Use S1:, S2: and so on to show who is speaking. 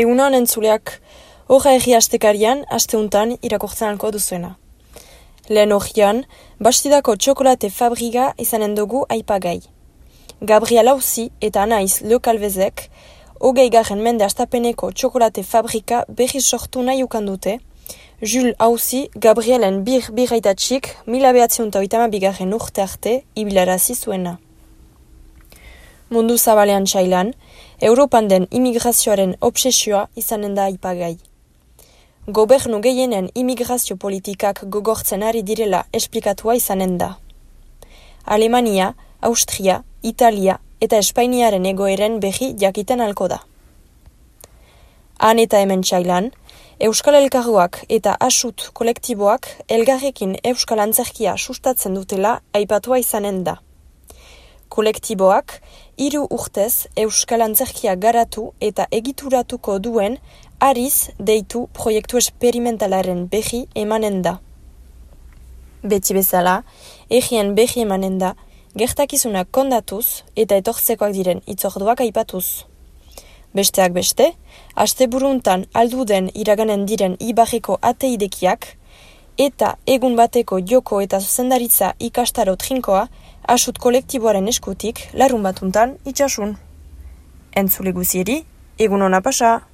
S1: Egunon entzuleak, horra egi astekarian, asteuntan irakurtzen alko duzuena. Lehen horian, Bastidako txokolate fabriga izanen dugu aipagai. Gabriel Auzi eta Anaiz Leokalvezek, 20. mende astapeneko txokolate fabrika berriz sortu nahi ukan dute, Jules Auzi Gabrielen biraitatxik 1982. urte arte ibilarazi zuena. Mundu zabalean txailan, Europan den imigrazioaren obsesioa izanen da aipagai. Gobernu gehienen imigrazio politikak gogortzen ari direla esplikatua izanen da. Alemania, Austria, Italia eta Espainiaren egoeren berri jakiten alko da. Han eta hemen txailan, Euskal Elkargoak eta Asut kolektiboak elgarrekin Euskal Antzerkia sustatzen dutela aipatua izanen da. Kolektiboak 3 urtez Euskal Antzerkia garatu eta egituratuko duen Ariz deitu proiektu esperimentalaren berri emanen da. Beti bezala, egien berri emanen da, gertakizunak kondatuz eta etortzekoak diren itzorduak aipatuz. Besteak beste, asteburuntan alduden iraganen diren ibarreko ateidekiak eta egun bateko joko eta zuzendaritza ikastaro trinkoa Asut kolektiboaren eskutik larun batuntan itxasun. Entzule guzieri, egun hona pasa!